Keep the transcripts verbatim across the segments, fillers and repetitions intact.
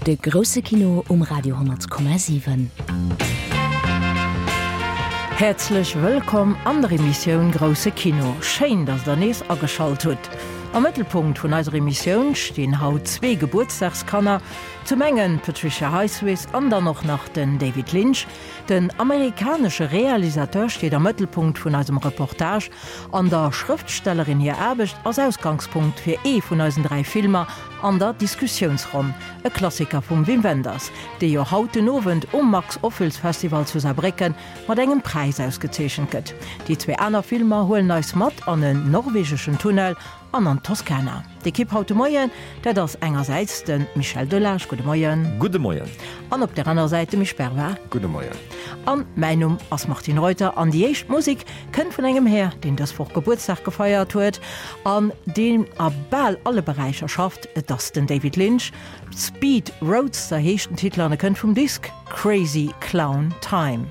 De grousse Kino um Radio hundert Komma siwen. Häerzlech wëllkomm an der Emissioun Grousse Kino. Schéin, dass der nees ageschalt hutt. Am Mëttelpunkt vun eiser Emissioun stinn haut zwee Gebuertsdagskanner, zum engen d'Patricia Highsmith an dann och nach den David Lynch. Den amerikanesche Realisateur steet am Mëttelpunkt vun eisem Reportage an der Schrëftstellerin hir Aarbecht ass Ausgangspunkt fir ee vun eisen dräi Filmer an der Diskussiounsronn, e Klassiker vum Wim Wenders, dee jo haut den Owend um Max Ophüls Festival zu Saarbrécken mat engem Präis ausgezeechent gëtt. Déi zwee aner Filmer huelen eis mat an en norwegeschen Tunnel an an d'Toskana. D'Ekipp haut de Moien, dat ass engersäits de Michel Delage, gudde Moien. Gudde Moien. An op der aner Säit de Misch Bervard. Gudde Moien. An mäin Numm ass Martine Reuter an déi éischt Musek kënnt vun engem Här, deen dës Woch Gebuertsdag gefeiert huet an deen a bal alle Beräicher schafft. Et ass den David Lynch. Speed Roadster heescht den Titel an e kënnt vum Disk Crazy Clown Time.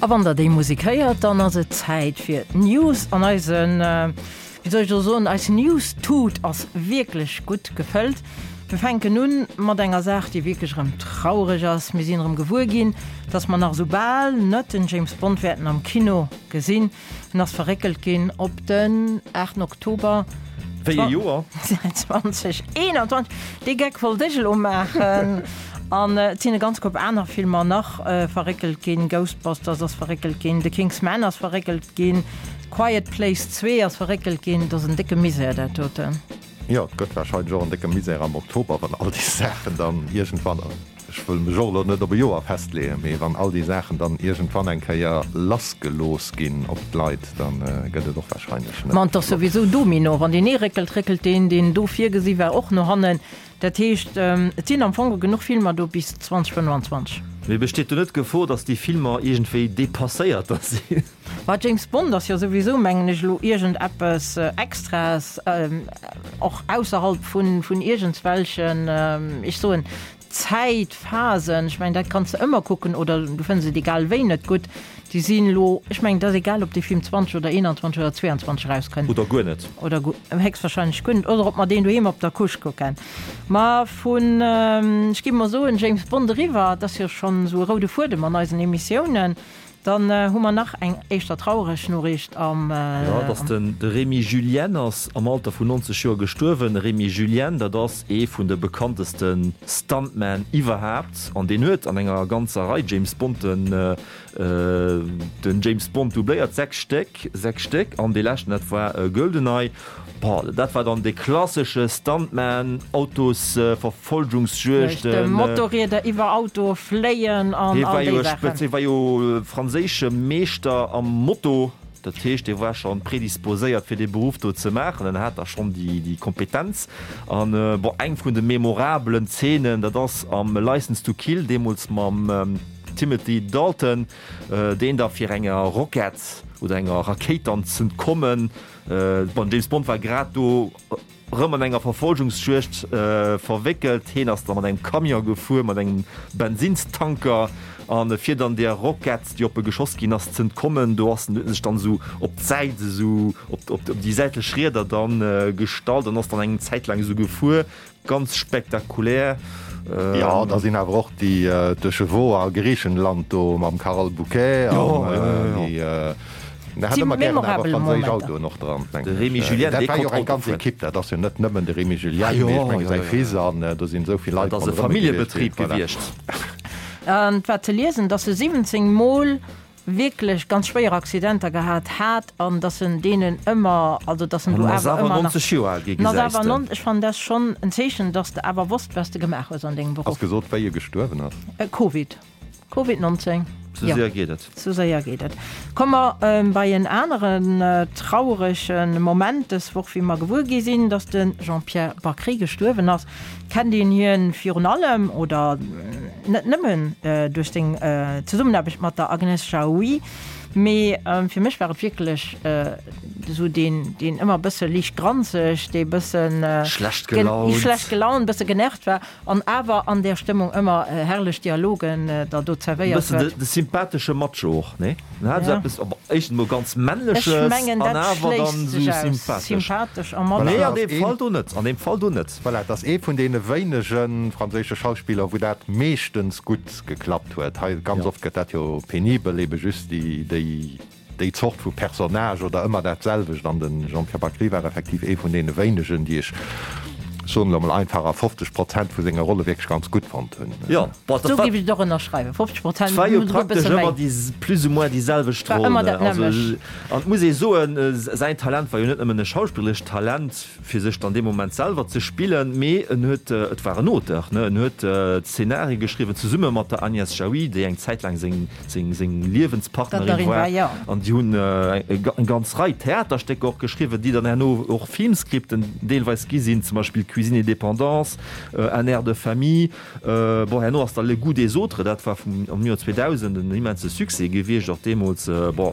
A wann der déi Musek héiert, dann ass et Zäit fir d'News an eisen, wéi soll ech elo soen, eis News-Tut ass wierklech gutt gefëllt. Mir fänken un mat enger Saach, déi wierklech erëm traureg ass. Mir sinn erëm gewuer ginn, dass mer nach esou bal net den James Bond wäerten am Kino gesinn. En ass verréckelt ginn op den aachten Oktober. Wéi e Joer? zwanzeg eenanzwanzeg. Dee Geck wollt ech elo maachen. An et sinn e ganz Koup aner Filmer nach verréckelt ginn. Ghostbusters ass verréckelt ginn, The King's Man ass verréckelt ginn, Quiet Place zwee ass verréckelt ginn. Et ass en décke Misär, dat doten. Jo, et gëtt warscheinlech och en décke Misär am Oktober, wann all déi Saachen dann iergendwann, ech wëll mech och elo net op e Joer festleeën, mee wann all déi Saachen dann iergendwann eng Kéier lassgelooss ginn op d'Leit, da gëtt et och warscheinlech net Ma et ass flott. souwisou Domino, wann deen ee réckelt, réckelt deen, deen do virgesi war, och no hannen. Dat heescht, et sinn am Fong genuch Filmer do bis zwanzeg fënnwanzwanzeg. Mee besteet do net d'Gefor, datt déi Filmer iergendwéi depasséiert da sinn? Bah, James Bond ass jo souwisou, mengen ech, elo iergendeppes Extraes, och ausserhalb vun iergendswelchen, ech soen, Zäitphasen. Ech mengen, dat kanns de ëmmer kucken oder du fënns et egal wéi net gutt. Déi sinn elo, ech mengen, et ass egal, ob dee Film zwanzeg oder eenanzwanzeg oder zweeanzwanzeg erauskënnt. Oder guer net. Oder guer, héchstwahrscheinlech guer net. Oder ob mer deen doheem op der Couche kucken. Ma vun, ech géif mol soen, James Bond eriwwer, et ass jo schonn esou e roude Fuedem an eisen Emissiounen, dann hu mer nach eng éischter traureg Noriicht am. Jo, et ass den, de Rémy Julienne ass am Alter vun nonzeg Joer gestuerwen. Rémy Julienne, dat ass ee vun de bekannteste Stuntmen iwwerhaapt an deen huet an enger ganzer Rei James Bond-en den James Bond doubléiert, sechs Stéck, sechs Stéck, an dee leschten, dat war Goldeneye. Boah, dat war dann dee klassesche Stuntman, Autosverfolgungsjuegten. Motorrieder iwwer Autoe fléien an all déi Saachen. Hie war jo franséische Meeschter am Moto, dat heescht, hie war schonn predisposéiert fir dee Beruff do ze maachen, en hat da schonn déi Kompetenz. An bon, eng vun de memorabelen Zeenen, dat ass am Licence to Kill, deemools mam Timothy Dalton, deen da fir enger Rockett oder enger Rakéit dann z'entkommen, bon, James Bond war grad do rëm an enger Verfolgungsjuegd verwéckelt, heen ass da mat engem Camion gefuer, mat engem Bensinnstanker, an fir dann där Rockett, déi op e geschoss ginn ass, z'entkommen, do ass en, huet en sech dann esou op d'Säit, esou op, op déi säitlech Rieder dann gestallt an ass dann eng Zäit laang esou gefuer. Ganz spektakulär. Jo, da sinn awer och déi Deux Chevaux a Griichenland do mam Carole Bouquet an déi. Der hat ëmmer gären awer franséisch Autoen och dran, mengen ech. De Rémy Julienne, Dat dee war jo konnt och eng Auto ganz fueren. Ekipp, dat ass jo net nëmmen de Rémy Julienne, mee ech menge säi Fils an do sinn esou vill Leit Dat ass e ronderëm e gewiescht, Familljebetrib voilà. gewiescht. An et war ze liesen, dass e siwwenzéng Mol wierklech ganz schwéier Accidenter gehat hat an dass en deenen ëmmer, also dass en An do en ass awer awer ëmmer nach, nonzeg Joer al gi, en ass gesäis awer de. non, ech fannen dat schonn en Zeechen, dass de awer wosst, wat s de gemaach hues an dengem Ass Beruff. gesot, wéi e gestuerwen ass? Covid, Covid nonzéng. Sou Jo, séier geet et. sou séier geet et. Komme mer bei en aneren traurege Moment dës Woch, wéi mer gewuer gi sinn, dass de Jean-Pierre Bacri gestuerwen ass. Kennt een hien virun allem, oder net nëmmen, duerch seng Zesummenaarbecht mat der Agnès Jaoui, mee fir mech war et wierklech esou deen, deen ëmmer e bësse liicht granzeg, dee bëssen Schlecht gelaunt. schlecht gelaunt, bësse genervt war an awer an där Stëmmung ëmmer herrlech Dialogen der do E zerwéiert bëssen huet. de sympathesche Macho och, nee? En hat esou Ja. eppes, éischtens emol ganz Ech Männleches mengen, an dat awer dann schléisst esou sech aus, sympathesch. sympathesch a Macho. Voilà, Nee, an dat deem ass een. Fall do net, an deem Fall do net. Voilà, et ass ee vun deene wéinege franséische Schauspiller, wou dat meeschtens gutt geklappt huet. Hei ganz Ja. oft gëtt dat jo penibel, ebe just déi, déi, déi Zort vu Personnage oder ëmmer dat selwecht. An de Jean-Pierre Bacri war effektiv ee vun deene wéinegen, déi ech, soen elo mol einfach, a fofzeg Prozent vu senge Rolle wierklech ganz gutt fonnt hunn. Jo, bon, dat Sou war, géif ech et och ënnerschreiwen, fofzeg Prozent, et war jo esouguer e praktesch bësse méi. ëmmer déi, plus ou moins déi selwecht War Roll, ëmmer ne? dat Also, nämmlecht. an et muss ee soen, säin Talent war jo net nëmmen e schauspillerescht Talent, fir sech dann dee Moment selwer ze spillen, mee en huet, et war en Auteur, ne, en huet d'Szenarie geschriwwen, zesumme mat der Agnès Jaoui, déi eng Zäit laang seng, seng, seng Liewenspartnerin Partnerin war, war, jo. an déi hunn eng ganz Rei Theaterstécker och geschriwwen, déi dann herno och Filmscripten deelweis gi sinn, zum Beispill Cuisine et dépendance, Un air de famille. Bon, herno ass da Le goût des autres, dat war vum, am Joer zweedausend en immense Succès gewiescht, och deemools, bon,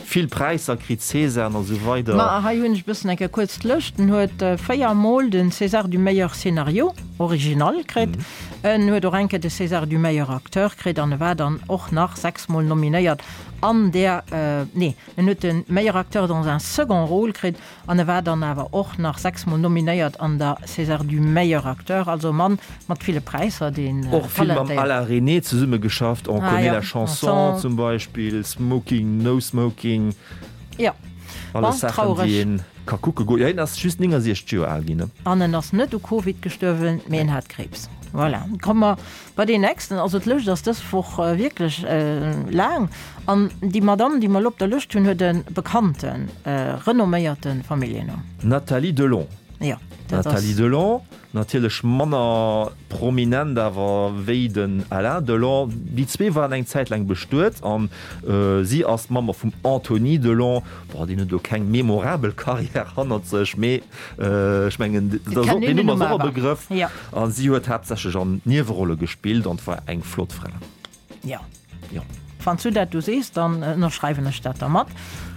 vill Präisser kritt, Césaren a sou weider. Ma hei hunn ech e bëssen eng Kéier kuerz d'Lëscht. En huet véier Mol den César du meilleur scénario original kritt. En huet och eng Kéier de César du meilleur acteur kritt an e war dann och nach sechs Mol nominéiert an der, nee, en huet de meilleur acteur dans un second rôle kritt an e war dann awer och nach sechs Mol nominéiert an der César du meilleur acteur. Also e Mann mat ville Präisser, deen Och vill mam talentéiert. Alain Resnais zesummegeschafft, On Ah connaît ja, la chanson Chanson. zum Beispill, Smoking, No Smoking. Ja. Alles Bon, Saachen, traureg. déi een ka kucke goen. Jo, hien ass just néngasiechzeg Joer al ginn, ne? An en ass net u Covid gestuerwen, mee en hat Kriibs. Voilà. Komme mer bei deen nächsten. Also d'Lëscht ass dës Woch wierklech laang. An déi Madamm, déi mer elo op der Lëscht hunn, huet e bekannten, renomméierte Familljennumm. Nathalie Delon. Jo, dat ass. Nathalie Delon, natierlech manner prominent awer wéi den Alain Delon. Déi zwee waren eng Zäit laang bestuet an si ass d'Mamm och vum Anthony Delon. Bon, deen huet elo keng memorabel Karriär hannert sech, mee ech mengen, dat ass och, deen Numm ass och e Begrëff. A si huet haaptsächlech an Niewerolle gespillt an war eng flott Fra. Jo. Jo. Wann s du dat do sees, dann ënnerschreiwen ech dat da mat.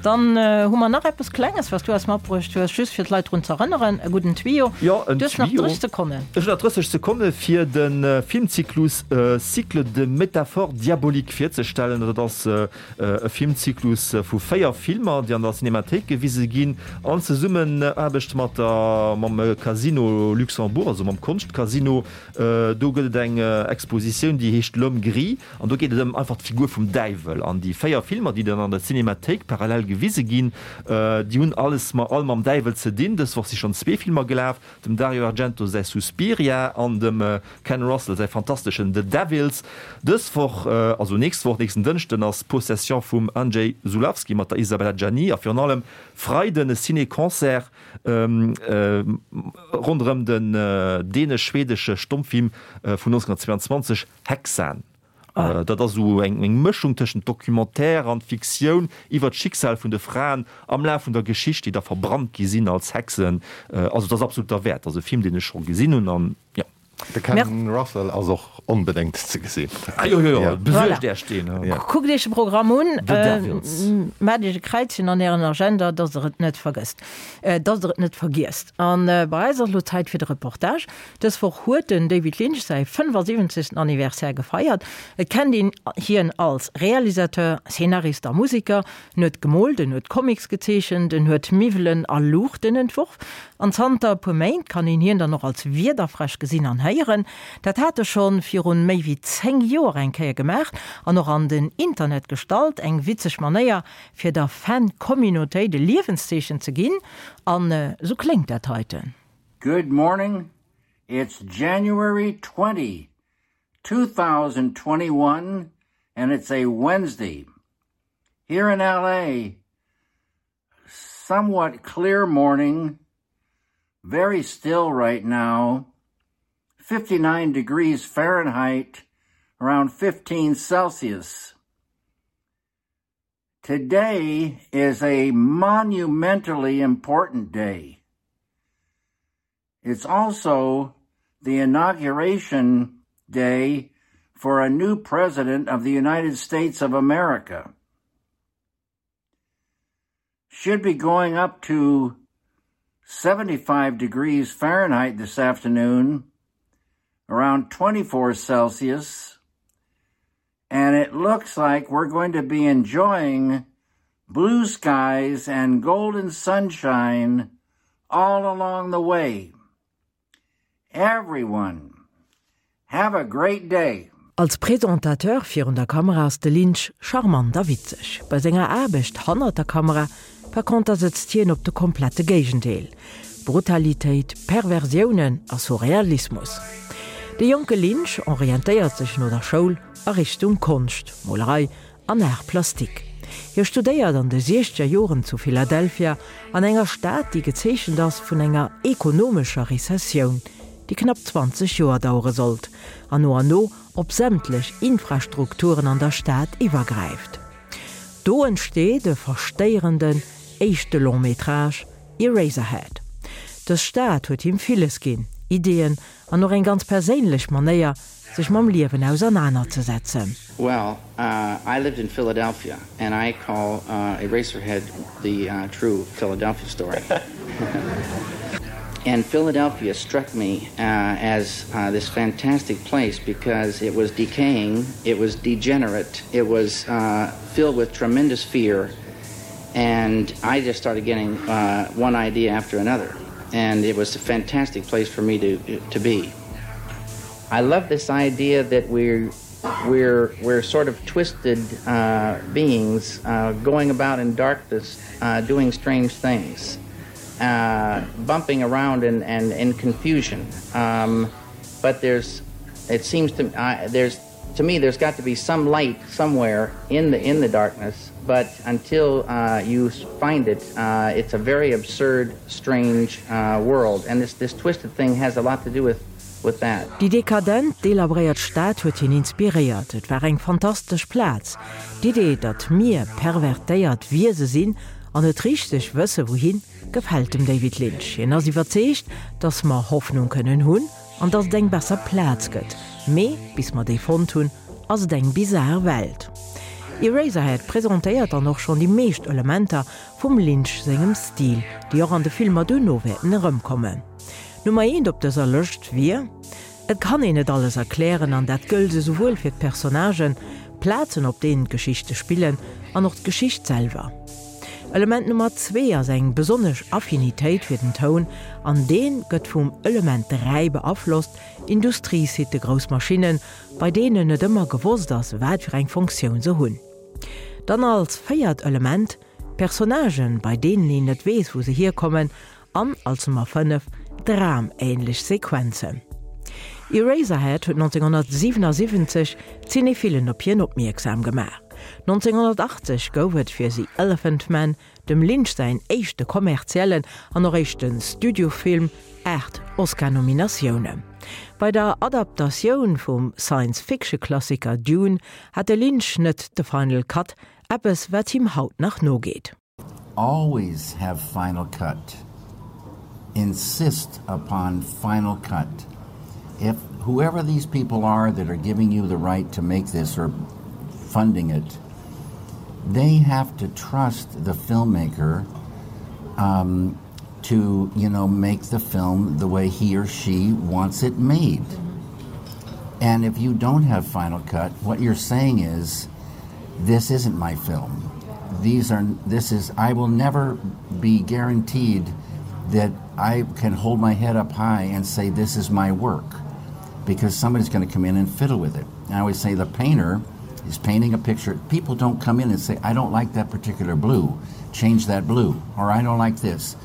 Dann hu mer nach eppes Klenges, wat s du eis matbruecht hues, just fir d'Leit drun z'erënneren, e gudden Tuyau. Jo, en Du hues nach Tuyau. drësseg Sekonnen. Ech hunn nach drësseg Sekonne fir de Filmzyklus Cycle de métaphores diaboliques virzestellen. Dat ass e Filmzyklus vu véier Filmer, déi an der Cinémathéik gewise ginn, an Zesummenaarbecht mat der, mam Casino Luxembourg, also mam Konschtcasino. Do gëtt et eng Expositioun, déi heescht L'homme gris. An do geet et ëm einfach d'Figur vum Däiwel. An déi véier Filmer, déi dann an der Cinémathéik parallel gewise ginn, déi hunn alles ma all mam Däiwel ze dinn. Dës Woch si schonn zwee Filmer gelaf, dem Dario Argento säi Suspiria an dem Ken Russell säi fantasteschen The Devils. Dës Woch, also nächst Woch, nächsten Dënschden, ass Possession vum Andrzej Zulawski mat der Isabella Gianni a virun allem Freiden e Ciné-Concert ronderëm den dänesch-schwedesche Stommfilm vun nonzénhunnertzwéianzwanzeg Häxan. Dat ass esou eng Mëschung tëschent Documentaire an Fiktioun iwwer d'Schicksal vun de Fraen am Laf vun der Geschicht, déi da verbrannt gi sinn als Hexen. Also et ass absolut derwäert. Ass e Film, deen ech scho gesinn hunn an jo. De Ken Russell ass och onbedéngt ze gesinn. Ah jo, jo, jo, besuergt Voilà. Iech deen. Ja. Kuckt Iech de Programm un, The Devils. maacht Iech e Kräizchen an Ären Agenda, dass Der et net vergësst, dass Der et net vergiesst. An bei eis ass elo Zäit fir de Reportage. Dës Woch huet den David Lynch säi fënnefasiwwenzegsten Anniversaire gefeiert. Et kennt een hien als Realisateur, Szenarist a Museker. En huet gemoolt, en huet Comics gezeechent, en huet Miwwelen a Luuchten entworf. An zanter e puer Méint kann een hien dann och als Wiederfräsch gesinn an héieren. Dat hat e schonn virun méi wéi zéng Joer eng Kéier gemaach an och an den Internet gestallt. Eng witzeg Manéier fir der Fan-Communautéit e Liewenszeechen ze ginn. An esou kléngt dat heiten. Good morning. It's January twenty, two thousand twenty-one and it's a Wednesday. Here in L A, somewhat clear morning, very still right now, fifty-nine degrees Fahrenheit, around fifteen Celsius. Today is a monumentally important day. It's also the inauguration day for a new president of the United States of America. Should be going up to seventy-five degrees Fahrenheit this afternoon, around twenty-four Celsius, and it looks like we're going to be enjoying blue skies and golden sunshine all along the way. Everyone, have a great day. Als Presentateur virun der Kamera ass de Lynch charmant a witzeg. Bei senger Aarbecht hannert der Kamera par conter sëtzt hien op de komplette Géigendeel, Brutalitéit, Perversiounen a Surrealismus. De jonke Lynch orientéiert sech no der Schoul a Richtung Konscht, Molerei an Art plastique. Hie studéiert an de siechzeger Joren zu Philadelphia, an enger Stad, déi gezeechent ass vun enger ekonomescher Rezessioun, déi knapp zwanzeg Joer dauere sollt an no an no op sämtlech Infrastrukturen an der Stad iwwergräift. Do entsteet e verstéierenden éischte Long-métrage, Eraserhead. Dës Stad huet him villes ginn, Ideeën an och eng ganz perséinlech Manéier, sech mam Liewen ausernanerzesetzen. Well, I lived in Philadelphia and I call Eraserhead the true Philadelphia story. And Philadelphia struck me uh, as uh, this fantastic place because it was decaying, it was degenerate, it was uh, filled with tremendous fear. And I just started getting uh, one idea after another. And it was a fantastic place for me to, to be. I love this idea that we're, we're, we're sort of twisted uh, beings uh, going about in darkness, uh, doing strange things uh, bumping around and, and in confusion. Um, but there's, it seems to, uh, there's, to me, there's got to be some light somewhere in the, in the darkness, but until uh, you find it, uh, it's a very absurd, strange uh, world. And this, this twisted thing has a lot to do with with that. Déi dekadent, delabréiert Stad huet hien inspiréiert. Et war eng fantastesch Plaz. D'Idee, datt mir pervertéiert Wiese sinn an net richteg wësse wouhin, gefält dem David Lynch. Hien ass iwwerzeegt, datt mer Hoffnung kënnen hunn an datt et eng besser Plaz gëtt. Mee bis mer déi fonnt hunn, ass et eng bizar Welt. Eraserhead presentéiert dann och schonn déi meescht Elementer vum Lynch sengem Stil, déi och an de Filmer duerno wäerten erëmkommen. Nummer eent op dëser Lëscht wier, Et kann een net alles erklären an dat gëllt esouwuel fir d'Personnagen, d'Plazen op deenen d'Geschichte spillen an och d'Geschicht selwer. Element Nummer zwee ass eng besonnesch Affinitéit fir den Toun an dee gëtt vum Element dräi beaflosst, Industriesitte, grouss Maschinnen, bei deenen net ëmmer gewosst ass, wat fir eng Funktioun se hunn. Dann als véiert Element, Personnagen, bei deenen een net weess, wou se hierkommen an als Nummer fënnef, dramähnlech Sequenzen. Eraserhead huet nonzénghonnertsiwenasiwwenzeg d'Cinéphilen op hien opmierksam gemaach. nonzénghonnertachtzeg gouf et fir The Elephant Man, dem Lynch säin éischte kommerziellen an och éischte Studiofilm, aacht Oscar-Nominatiounen. Bei der Adaptatioun vum Science-Fiction-Klassiker Dune hat de Lynch net de Final Cut, eppes wat him haut nach nogeet. Always have final cut. Insist upon final cut. If whoever these people are that are giving you the right to make this or funding it, they have to trust the filmmaker um, to, you know, make the film the way he or she wants it made. And if you don't have final cut, what you're saying is, this isn't my film. These are, this is, I will never be guaranteed that I can hold my head up high and say, this is my work, because somebody's gonna come in and fiddle with it. I always say the painter is painting a picture. People don't come in and say, I don't like that particular blue, change that blue, or I don't like this.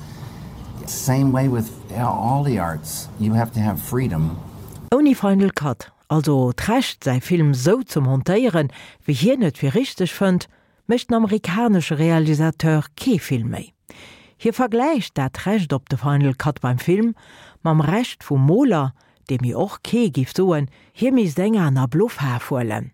Same way with all the arts, you have to have freedom. Ouni Final Cut, also d'Recht säi Film sou ze montéieren, wéi hien et fir richteg fënnt, mécht den amerikanesche Realisateur kee Film méi. Hie vergläicht dat Recht op de Final Cut beim Film mam Recht vum Moler, deem jo och kee giff soen, hie misst eng aner blo Faarf huelen.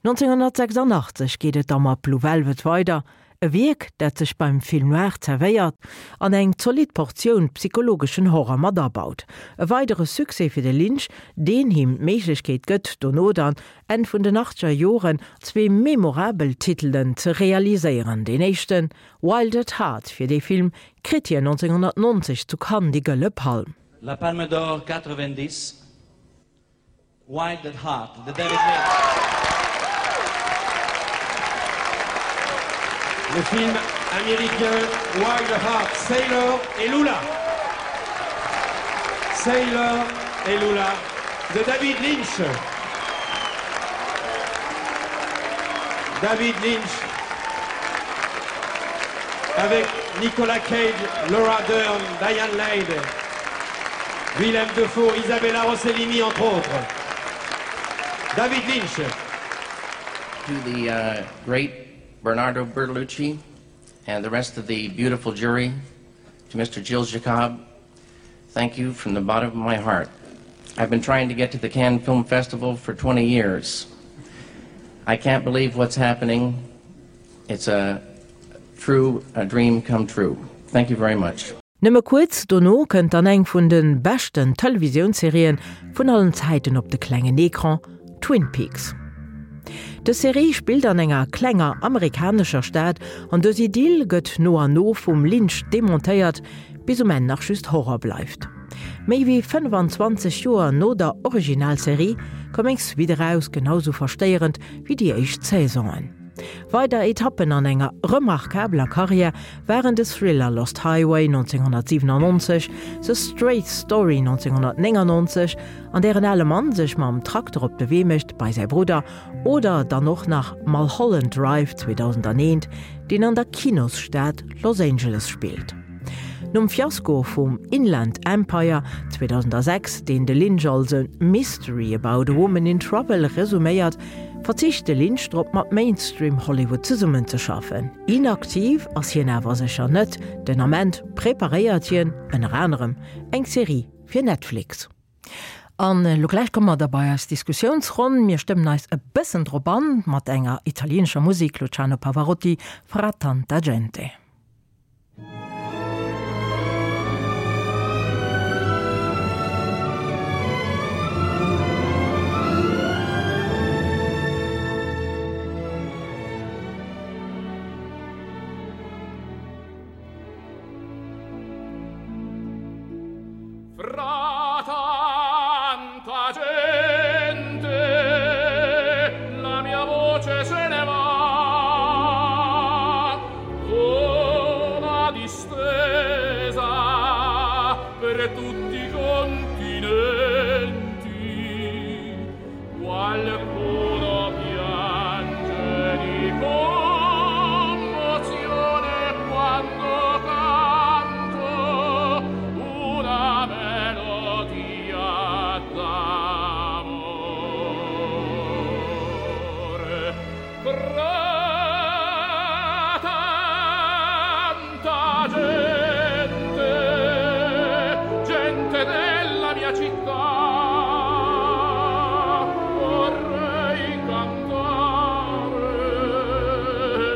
nonzénghonnertsechsundachtzeg geet et da mat Blue Velvet weider, e Wierk, dat sech beim Film noir zerwéiert an eng zolidd Portioun psychologeschen Horror mat abaut. E weidere Succès fir de Lynch, deen him d'Méiglechkeet gëtt, dono dann, Enn vun den achtzeger Joren, zwee memorabel Titelen ze realiséieren. Deen éischten, Wild at Heart, fir dee Film kritt hien nonzénghonnertnonzeg zu Cannes déi Gëlle Palm. La Palme d'Or quatre-vingt-dix, Wild at Heart, de David Lynch. Le film américain Wild at Heart, Sailor et Lula. Sailor et Lula de David Lynch. David Lynch avec Nicolas Cage, Laura Dern, Diane Lane, Willem Dafoe, Isabella Rossellini entre autres. David Lynch. To the, uh, great Bernardo Bertolucci and the rest of the beautiful jury, to Mister Gilles Jacob, thank you from the bottom of my heart. I've been trying to get to the Cannes Film Festival for twenty years. I can't believe what's happening. It's a true, a dream come true. Thank you very much. Nëmme kuerz dono kënnt dann eng vun de beschten Televisiounsserien vun allen Zäiten op de klengen Ecran, Twin Peaks. Dës Serie spillt an enger klenger amerikanescher Stad an dës Idyll gëtt no an no vum Lynch demontéiert, bis um Enn nach just Horror bleift. Méi wéi fënnefanzwanzeg Joer no der Originalserie koum eng Suite eraus, genau sou verstéierend wéi déi éischt Saisonen. Weider Etappen an enger remarkabeler Karriär waren de Thriller Lost Highway nonzénghonnertsiwenannonzeg, The Straight Story nonzénghonnertnéngannonzeg, an där en ale Mann sech mam Trakter op de Wee mécht bei säi Brudder, oder dann och nach Mulholland Drive zweedausendaneent, deen an der Kinosstad Los Angeles spillt. Nom Fiasko vum Inland Empire zweedausendsechs, deen de Lynch als e Mystery about a woman in trouble resuméiert, verzicht de Lynch drop mat Mainstream Hollywood zesummenzeschaffen. Inaktiv ass hien awer sécher net, den Ament preparéiert hien ënner anerem eng Serie fir Netflix. An elo gläich komme mer da bei eis Diskussiounsronn. Mir stëmmen eis e bëssen drop an mat enger italienescher Musek, Luciano Pavarotti, Fra tanta gente. Fra tanta gente la mia voce se ne va vola distesa per tutti i continenti qualcuno piange di commozione quando canto una melodia d'amore. Fra tanta gente, gente della mia città, vorrei cantare,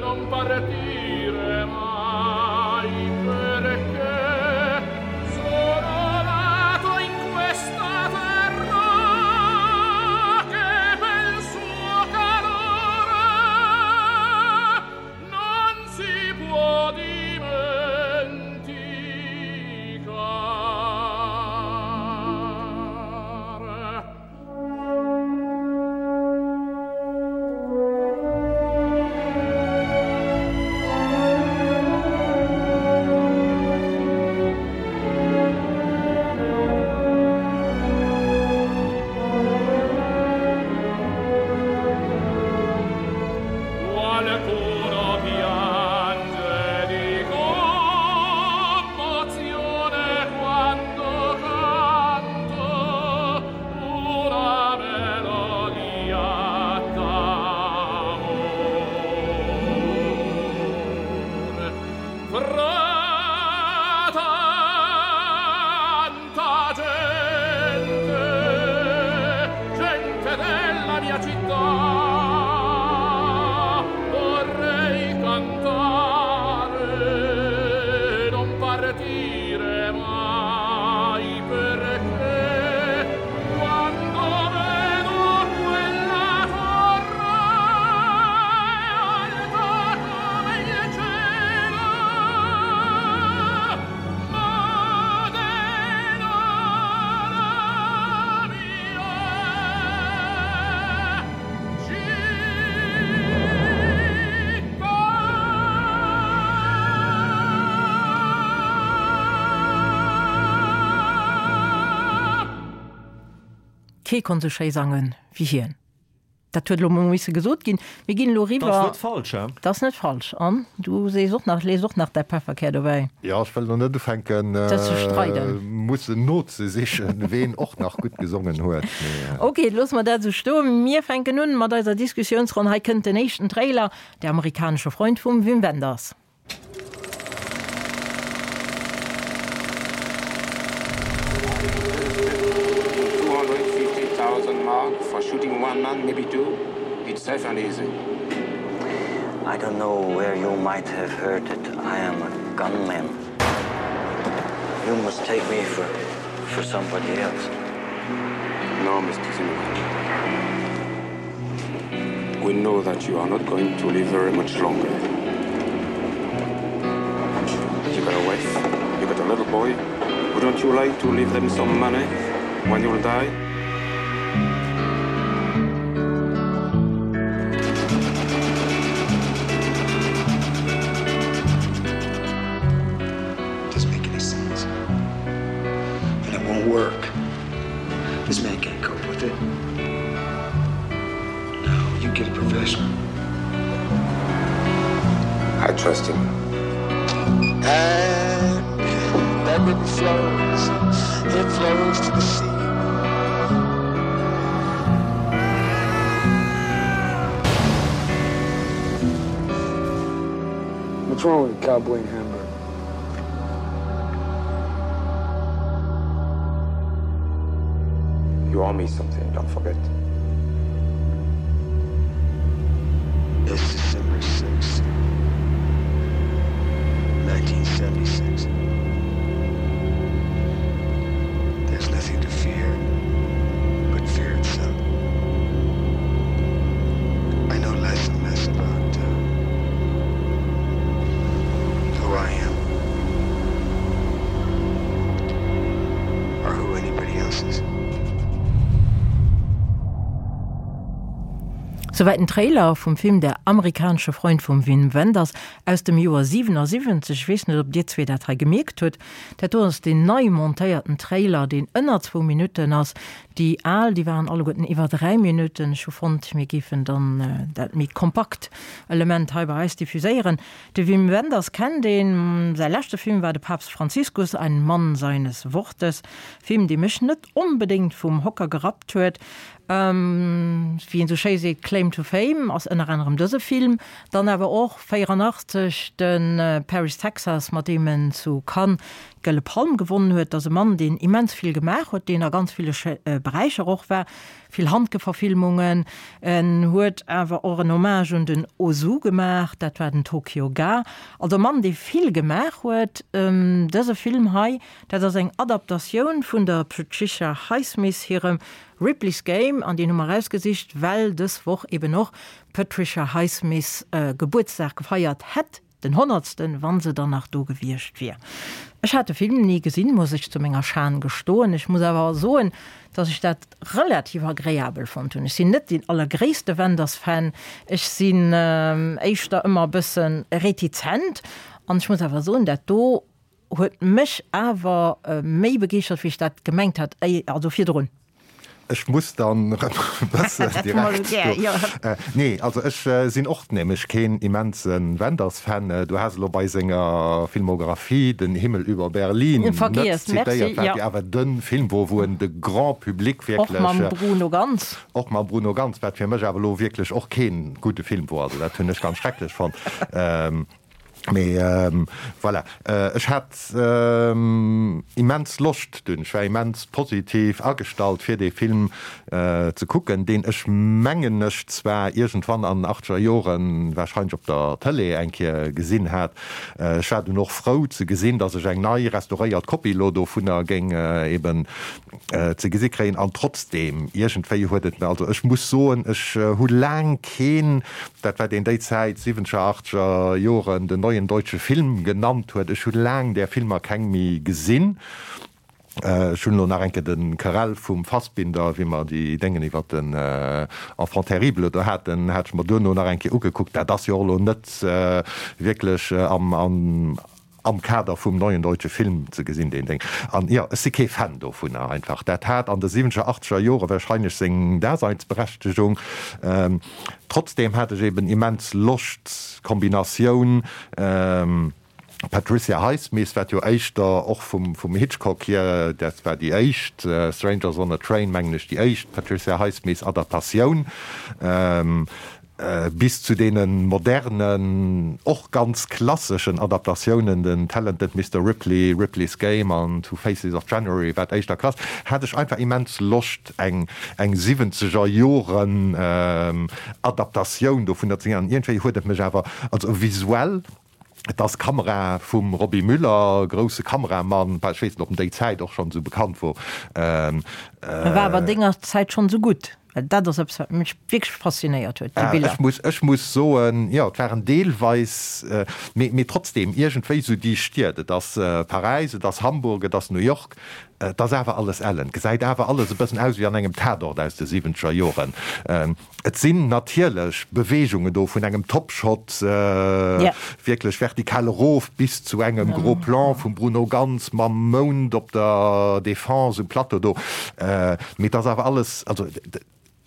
non partire mai, perché sono nato in questa terra che pel suo calore non si può dimenticare. Qualcuno piange di commozione quando canto una melodia d'amore. Fra tanta gente, gente della mia città, vorrei cantare, non partire mai, perché quando vedo quella torre alta come il cielo, Modena la mia città. Kee konnt sou schéi sangen wéi hien. Dat huet elo mol misse gesot ginn. Mir ginn elo Dat ass eriwwer. net falsch, hä? Dat ass net falsch. An du sees och nach, lees och nach däi Pefferkär dobäi. Jo, ech wëll elo net ufänken, Dat ze streiden. mussen nozesichen, ween och nach gutt gesongen huet. Mee. Ok, loosse mer dat esou stoen. Mir fänken un mat eiser Diskussiounsronn. Hei kënnt den éischten Trailer, Der amerikanische Freund vum Wim Wenders. Two hundred fifty thousand mark for shooting one man, maybe two. It's safe and easy. I don't know where you might have heard it. I am a gunman. You must take me for, for somebody else. No, Mister Zimmerman. We know that you are not going to live very much longer. You got a wife, you got a little boy? Wouldn't you like to leave them some money when you'll die? Doesn't make any sense. And it won't work. This man can't cope with it. No, you get a professional. I trust him. And that river flows. It flows to the sea. What's wrong with cowboy in Hamburg? You owe me something, don't forget. It's December sixth, nineteen seventy-six. There's nothing to fear but fear itself. I know less and less about, uh, who I am or who anybody else is. Souwäit den Trailer vum Film Der amerikanische Freund vum Wim Wenders aus dem Joer siwenassiwwenzeg. Ech weess net, ob dir zwee dat hei gemierkt hutt. Dat do ass deen nei montéierten Trailer, deen ënner zwou Minutten ass. Déi al, déi waren alleguerten iwwer dräi Minutten. Ech hu fonnt, mir géifen dann dat méi kompakt Element hei bei eis diffuséieren. De Wim Wenders kennt een. Säi leschte Film war De Papst Franziskus, ein Mann seines Wortes. Film, dee mech net onbedéngt vum Hocker gerappt huet. Wéi een esou schéi seet, Claim to Fame ass ënner anerem dëse Film, dann awer och véierannachtzeg de Paris, Texas, mat deem en zu Cannes d'Gëlle Palm gewonnen huet. Dat ass e Mann, deen immens vill gemaach huet, deen a ganz ville Beräicher och war, vill Handke-Verfilmungen. En huet awer och en Hommage un den Ozu gemaach, dat war den Tokyo Ga. Also e Mann, dee vill gemaach huet. Dëse Film hei, dat ass eng Adaptatioun vun der Patricia Highsmith hirem Ripley's Game, an deen hu mer erausgesicht, well dës Woch eben och d'Patricia Highsmith Gebuertsdag gefeiert hätt, den honnertsten, wann se dann nach do gewiescht wier. Ech hat de Film ni gesinn, muss ech zu menger Schan gestoen. Ech muss awer soen, dass ech dat relativ agreabel fonnt hunn. Ech sinn net deen allergréisste Wenders-Fan, ech sinn éischter ëmmer e bësse retizent, an ech muss awer soen, dat do huet mech awer méi begeeschtert, wéi ech dat gemengt hat, also virdrun. Ech muss dann erëm e bëssen direkt do. Nee, also ech sinn och nämlech keen immense Wenders-Fan. Du has elo bei senger Filmographie Den Himmel über Berlin net zitéiert, wat jo awer de Film wor, wou en de Grand Public wierklech. Och mam Bruno Ganz. Och mam Bruno Ganz, wat fir mech awer elo wierklech och kee gudde Film wor. Also dat hunn ech ganz schrecklech fonnt. Mee voilà, ech hat immens Loscht dunn, ech war immens positiv agestallt fir dee Film ze kucken, deen ech mengen ech zwar iergendwann an den achtzeger Joren wahrscheinlech op der Tëlee eng Kéier gesinn hat. Ech war dunn och frou ze gesinn, datt ech eng nei restauréiert Kopie elo dovunner géing eben ze gesi kréien. An trotzdeem, iergendwéi huet et, also ech muss soen, ech hu laang keen, dat wat een déi Zäit, siwwenzeger, achtzeger Joren, den neuen deutsche Film genannt huet, ech hu laang där Filmer keng méi gesinn. Ech hunn elo nach eng Kéier de Querelle vum Fassbinder, wéi mer déi Déngen iwwer den Enfant terrible do haten, hat ech mer duerno nach eng Kéier ugekuckt. Dat ass jo och elo net wierklech am, am, am Kader vum neuen deutsche Film ze gesinn, deen Déng. An jo, ech si kee Fan dovunner einfach. Dat hat an de siwwenzeger, achtzeger Jore wahrscheinlech seng Daseinsberechtegung. Trotzdem hat ech eben immens Loscht, d'Kombinatioun Patricia Highsmith, wat jo éischter och vum Hitchcock hier, dat war déi éischt, Strangers on a Train, mengen ech, déi éischt Patricia Highsmith-Adaptatioun, bis zu deene modernen, och ganz klasseschen Adaptatiounen, den Talented Mister Ripley, Ripley's Game an Two Faces of January, wat éischter klass, hat ech einfach immens Loscht, eng eng siwwenzeger Joren Adaptatioun dovunner ze gesinn. An iergendwéi huet et mech awer, also visuell, et ass Kamera vum Robby Müller, grousse Kameramann, ech weess net, ob en déi Zäit och schonn esou bekannt wor. E war awer denger Zäit schonn esou gutt. Well dat ass eppes, wat mech wierklech faszinéiert huet, déi Biller. Ech muss, ech muss soen, jo, et waren deelweis, mee, mee trotzdem iergendwéi esou déi Stied, et ass Paräis, et ass Hamburg, et ass New York, et ass awer alles ellen, et gesäit awer alles e bëssen aus wéi an engem Tatort aus de siwwenzeger Joren. Et sinn natierlech Beweegungen do vun engem Topshot wierklech vertikal erof bis zu engem Gros Plan vum Bruno Ganz mam Mound op der Défense um Plateau do, mee et ass awer alles, also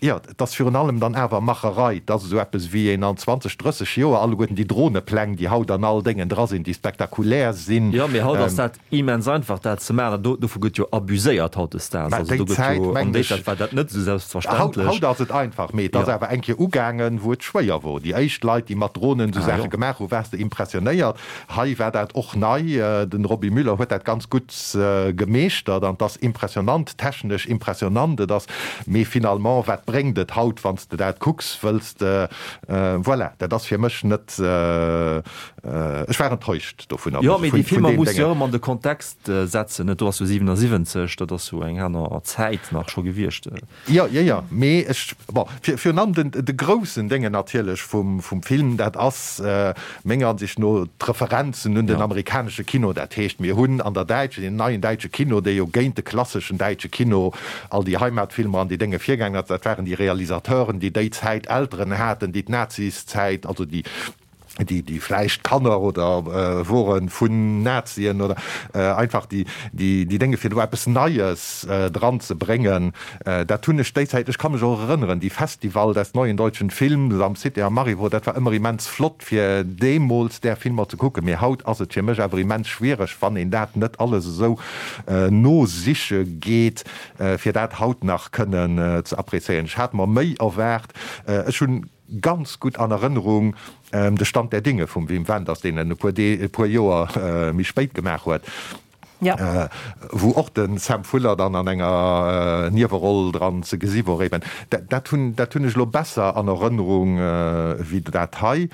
jo, et ass virun allem dann awer Macherei. Et ass esou eppes wéi een an zwanzeg, drësseg Joer alleguerten déi Dronepläng, déi haut an all Déngen dra sinn, déi spektakulär sinn. Jo, mee haut ass dat immens einfach, dat ze maachen. Do, dovu gëtt jo abuséiert hautdesdaags. Mä Also déi do gëtt Zäit, jo, an mengen déi ech, Zäit war dat net esou haut, selbstverständlech. haut ass et einfach, mee et ass Jo. awer eng Kéier ugaangen, wou et schwéier wor. Déi éischt Leit, déi mat Dronen esou Ah Saache jo. gemaach hunn, waars de impressionéiert. Hei war dat och nei. Den Robby Müller huet dat ganz gutt gemeeschtert an et ass impressionant, technesch impressionant. Et ass, mee finalement, wat bréngt et haut, wann s de dat kucks, wëlls de, voilà, dat ass fir mech net, ech war enttäuscht dovunner, Jo, mee déi vun Filmer deem muss de Déngen. jo ëmmer an de Kontext setzen, net? Do ass jo siwenasiwwenzeg, dat ass jo eng aner Zäit nach scho gewiescht. Jo, jo, jo, mee ech, bon, virun allem den, de groussen Déngen natierlech vum, vum Film, dat ass menger Ansicht no d'Referenzen un den amerikanesche Kino. Dat heescht, mir hunn an der däitschen, deen neien däitsche Kino, dee jo géint de klasseschen däitsche Kino, all déi Heimatfilmer an déi Dénge virgaangen ass, dat waren déi Realisateuren, déi déi Zäit Elteren haten, déi d'Naziszäit, also déi, déi, déi vläicht Kanner oder wore vun Nazien oder einfach déi, déi, déi Dénge fir do eppes Neies dran ze bréngen, dat hunn ech déi Zäit, ech ka mech och erënneren, déi Festival des neuen deutschen Films am Cité am Marivaux, dat war ëmmer immens flott fir deemools där Filmer ze kucken, mee haut ass et fir mech awer immens schwiereg, wann een dat net alles esou nosiche geet, fir dat haut nach kënnen ze appréciéieren. Ech hat mer méi erwaart. Ech hunn ganz gutt an Erënnerung de Stand der Dinge vum Wim Wenders, deen en e puer Dee, e puer Joer méi spéit gemaach huet, wou och de Sam Fuller dann an enger Nieweroll dran ze gesi wor. Eben dat, dat hunn, dat hunn ech elo besser an Erënnerung wéi dat hei.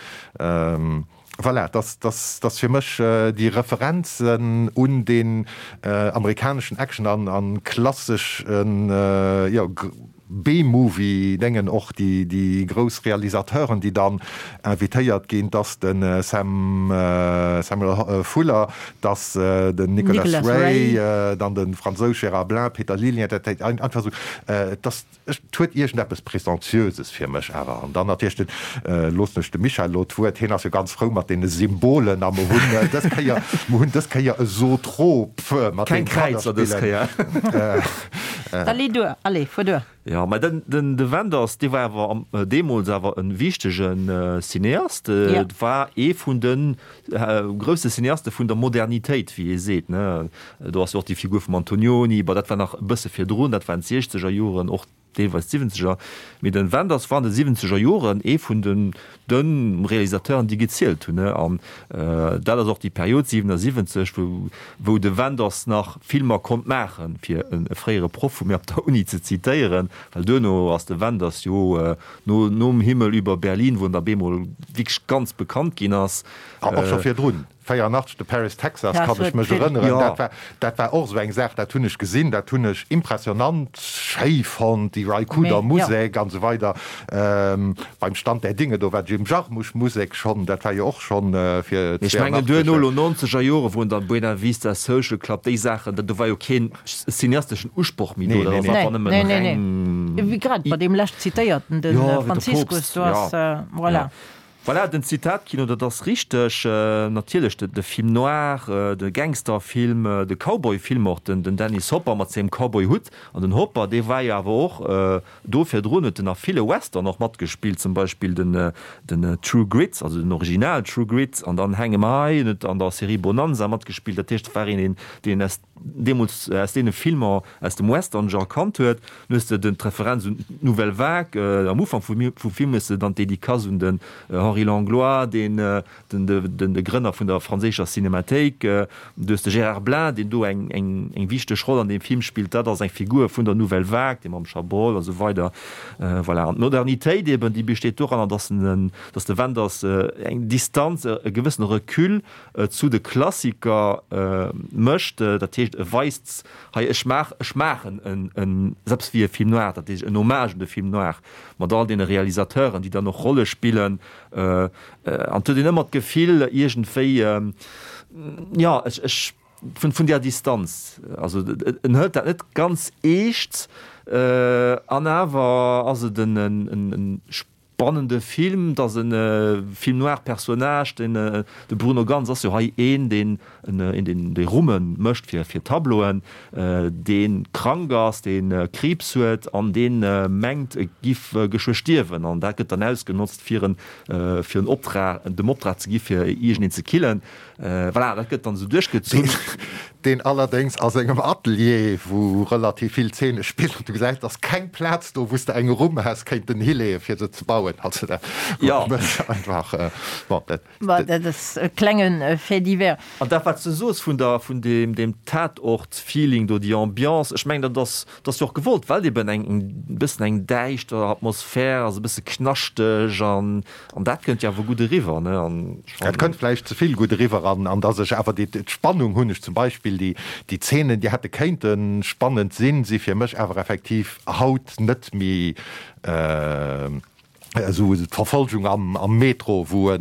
Voilà, dass, dass, dass fir mech déi Referenzen un deen amerikaneschen Action an, an klasseschen, jo, B-Movie-Déngen, och déi, déi grouss Realisateuren, déi dann invitéiert ginn, dass de Sam, Samuel Fuller, dass den Nicholas Ray, dann de Fransous Gérard Blain, Peter Lilien, dat einfach esou, dass, Et huet iergendeppes Prétentieuses fir mech awer. An dann natierlech den, loossen ech dem Michel elo d'Wuert, hien ass jo ganz frou mat deene Symbolen a mer hunn dës Kéier, mer hunn dës Kéier e Zotrop mat Keng deem Kräizer dës Kaderspillen. Kéier. Allez duer, allez, fuer duer. Jo, mä den, den, de Wenders, dee war awer am, deemools awer e wichtege Cineast. Ja. Et war ee vun de grousse Cineaste vun der Modernitéit, wéi ee seet, ne. Do ass jo och déi Figur vum Antonioni, bon, dat war nach e bësse virdrun, dat waren d'siechzeger Joren, och deelweis d'siwwenzeger. Mee de Wenders war an de siwwenzeger Joren ee vun den de Realisateuren, déi gezielt hunn, ne. An dat ass och déi Period, siwenasiwwenzeg, wou wou de Wenders nach Filmer konnt maachen, fir e fréiere Proff vu mir op der Uni ze zitéieren, well duerno ass de Wenders jo no nom Himmel über Berlin, wou en da bemol wierklech ganz bekannt ginn ass. A och scho virdrun, véierundachtzeg, de Paris, Texas, kann ech mech erënneren, dat war, dat war och esou eng Saach, dat hunn ech gesinn, dat hunn ech impressionant schéi fonnt, déi Ry Cooder Musek an esou weider. Beim Stand der Dinge, do war d'Jim Jarmusch Musek schonn, dat war jo och schonn fir Ech mengen duerno elo nonzeger Jore wou en dann Buena Vista Social Club, déi Saachen, do war jo keen cineasteschen Usproch méi do, dat ass einfach nëmmen reng. Wéi grad bei deem lescht zitéierten, de Franziskus, do ass, voilà. Voilà, den Zitatkino, dat ass richteg. Natierlech de Film noir, de Gangsterfilm, de Cowboyfilm och, den Dennis Hopper mat sengem Cowboyhutt. An den Hopper, dee war jo awer och do virdrun, huet en a ville Western och matgespillt, zum Beispill den den True Grit, also den Original True Grit, an dann Hang 'Em High, en huet an der Serie Bonanza matgespillt. Dat heescht, et war een, deen aus deemools aus deene Filmer aus dem Western-Genre kannt huet. Dann hues de den d'Referenz un d'Nouvelle Vague, am Ufank vum vum Film hues de dann d'Dédicace un den Henri Langlois, deen den den de Grënner vun der franséischer Cinémathéik. Du hues de Gérard Blain, deen do eng eng eng wichteg Roll an deem Film spillt. Dat ass eng Figur vun der Nouvelle Vague, dee mam Chabrol a sou weider. Voilà. An d'Modernitéit eben, déi besteet doranner, dass en dass de Wenders eng Distanz, e gewëssene Recul zu de Klassiker mécht. Dat heescht, heescht, e weist, hei ech maach, ech maachen en, en, selbst wéi e Film noir, dat heescht en Hommage un de Film noir, mat all deene Realisateuren, déi dann och Rolle spillen, an et huet een ëmmer d'Gefill iergendwéi, jo, ech, ech, vun, vun där Distanz, also en hëlt dat net ganz eescht, an awer ass et en, en, en spannende Film, et ass e Film noir Personnage, den de Bruno Ganz ass jo hei een, deen een deen déi Rumme mécht fir fir Tableauen, dee krank ass, dee Kriibs huet an dee mengt e giff geschwë stierwen an dat gëtt dann ausgenotzt fir en fir en Optrag dem Optrag ze gi fir iergendeen ze killen. Voilà, dat gëtt dann esou duerchgezunn. Deen allerdéngs a sengem Atelier, wou relativ vill Zeene spillen, du gesäis, et ass keng Plaz do, wou s de eng Rumm häss kéinten hileeën, fir se ze bauen. Also dat mécht einfach, bon, dat. Bon, dat ass e klenge Fait divers. An dat, wat s de soos vun der, vun deem, deem Tatort-Feeling do, déi Ambiance, ech mengen, dat ass, dat ass jo och gewollt, well et eben eng, e bëssen eng däischter Atmosphär ass, e bësse knaschteg an, an dat kënnt jo awer gutt eriwwer, ne? An ech fannen. Dat kënnt vläicht ze vill gutt eriwwer an, an dass ech awer déi, d'Spannung hunn ech zum Beispill, déi, déi Zeenen, déi hätte kéinte spannend sinn, si fir mech awer effektiv haut net méi esou d'Verfolgung am, am Metro, wou e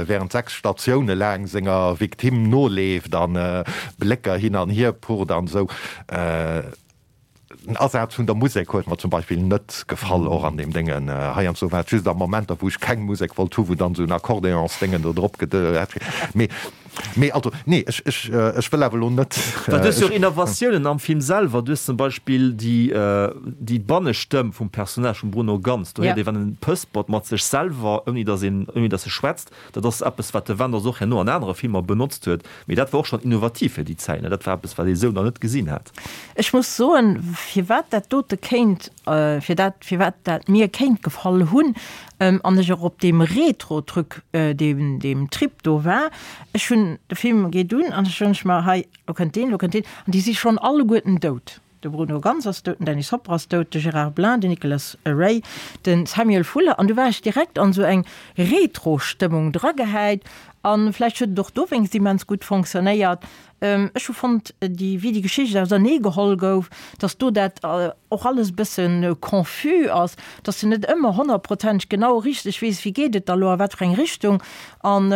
während sechs Statioune laang senger Victime noleeft a Blécker hin an hier purrt an esou. Den Asaz vun der Musek huet mer zum Beispill net gefall, och an deem Déngen. Heiansdo war et just a Momenter, wou ech keng Musek wollt hu, wou dann esou en Akkordeonsdéngen do drop ged. Mee, mee also, nee, ech, ech, ech wëll awer elo net. Well du hues jo och Innovatiounen am Film selwer. Du hues zum Beispill déi, déi Bannestëmm vum Personnage vum Bruno Ganz. Do héiert ee, wann en pëspert mat sech selwer, ouni datt een, ouni datt e schwätzt. Dat ass eppes, wat de Wenders och herno an anere Filmer benotzt huet. Mee dat war och schonn innovativ fir déi Zäit, ne? Dat war eppes, wat ee sou nach net gesinn hat. Ech muss soen, firwat dat dote kéint, fir dat, firwat dat mir kéint gefall hunn, an ech och op deem Retro-Truc, deem, deem Trip do war, ech hunn, de Film geet un an ech soen ech mer, hei, lo kënnt deen, lo kënnt deen, an déi si schonn alleguerten dout. De Bruno Ganz ass dout, den Dennis Hopper ass dout, de Gérard Blain, den Nicholas Ray, de Samuel Fuller. An du war ech direkt an esou eng Retro-Stëmmung dragehäit. A vläicht huet et och dowéinst immens gutt fonctionnéiert. Ech hu fonnt, déi, wéi déi Geschicht ausernee geholl gouf, datt do dat och alles e bësse confus ass, datt s de net ëmmer honnertprozenteg genau richteg weess, wéi geet et da lo a wat fir eng Richtung. An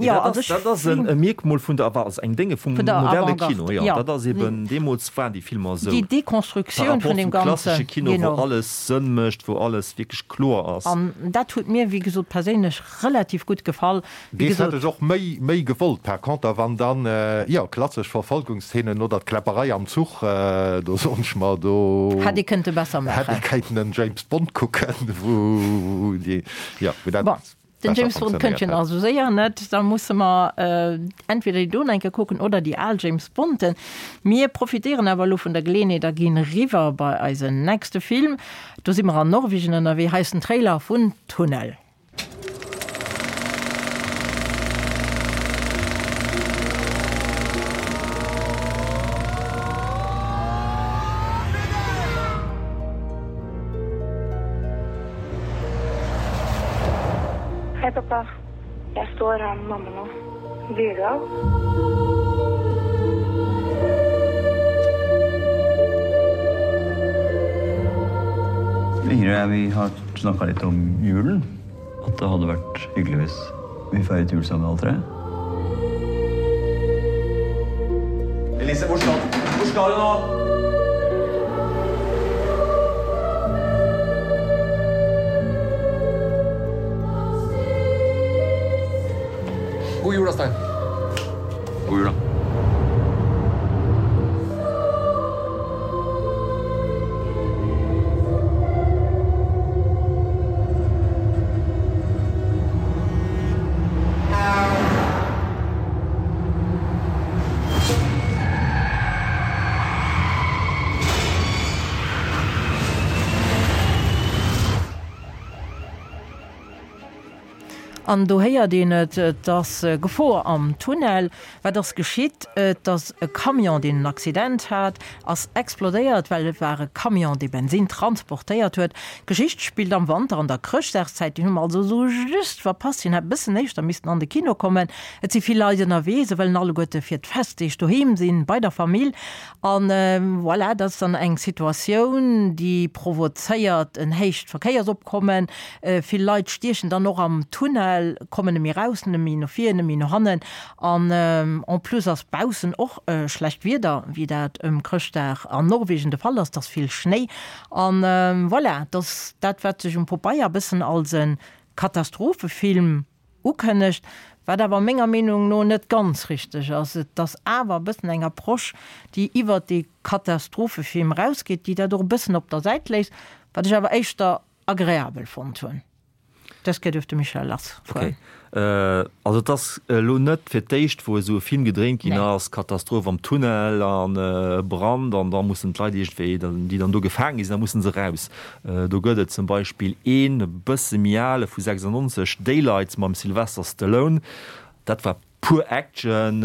jo, also ech. Dat ass e Mierkmol vun der, also eng Dénge vum moderne Kino, jo. Dat ass eben, deemools waren déi Filmer esou. Déi Dekonstruktioun vun deem Ganzen. Par rapport zum klassesche Kino, wou alles Sënn mécht, wou alles wierklech kloer ass. An dat huet mir, wéi gesot, perséinlech relativ gutt gefall. Wéi gesot. Dees hätt ech och méi, méi gewollt. Par conter, wann dann, jo, klassesch Verfolgungsszenen oder d'Kläpperei am Zuch, do soen ech mer, do. Hätt ee kënnte besser maachen. Hätt ee kéinten en James Bond kucken, wou déi, jo, wou dat. Bon, den James Bond kënnt jo nach esou séier net. Da musse mer entweder déi do nach eng Kéier kucken oder déi al James Bonden. Mir profitéieren awer elo vun der Geleeënheet a ginn eriwwer bei eisen nächste Film. Do si mer an Norwegen ënnerwee. Hei ass den Trailer vun Tunnel. Hei pappa, jeg står her med mamma nå. Blir du av? Ingrid og jeg, vi har snakka litt om julen. At det hadde vært hyggelig hvis vi feiret jul sammen alle tre. Elise, hvor skal hvor skal du nå? God jul da, Stein. God jul da. An do héiert een et, et ass Gefor am Tunnel. Wat ass geschitt? Et ass e Camion, deen en Accident hat, ass explodéiert, well et war e Camion, dee Bensinn transportéiert huet. D'Geschicht spillt am Wanter an der Chrëschtdagszäit, déi hu mer also esou just verpasst, hien hätt e bëssen éischter missten an de Kino kommen. Et si vill Leit ënnerwee, se wëllen alleguerte fir d'Festdeeg doheem sinn, bei der Famill. An voilà, dat ass dann eng Situatioun, déi provozéiert en héicht Verkéiersopkommen. Vill Leit stiechen dann och am Tunnel, kommen net méi raus, net méi no vir, net méi no hannen. An en plus ass baussen och schlecht Wieder, wéi dat ëm Chrëschtdag an Norwegen de Fall ass, et ass vill Schnéi. An voilà, et ass dat, wat sech um Pobeier e bëssen als e Katastrophefilm ukënnegt, wat awer menger Meenung no net ganz richteg ass. Et ass awer e bëssen eng Approche, déi iwwert dee Katastrophefilm erausgeet, déi dat och e bëssen op der Säit léisst, wat ech awer éischter agreabel fonnt hunn. Dës Kéier duerf de Michel lassfueren. Okay. Also et ass elo net fir d'éischt, wou esou e Film gedréint ginn ass, Katastroph am Tunnel an Brand an da mussen d'Leit iergendwéi, déi dann do gefaange gi sinn, da musse se raus. Do gëtt et zum Beispill een e bësse méi ale vu sechsundneunzeg, Daylight mam Sylvester Stallone. Dat war pur Action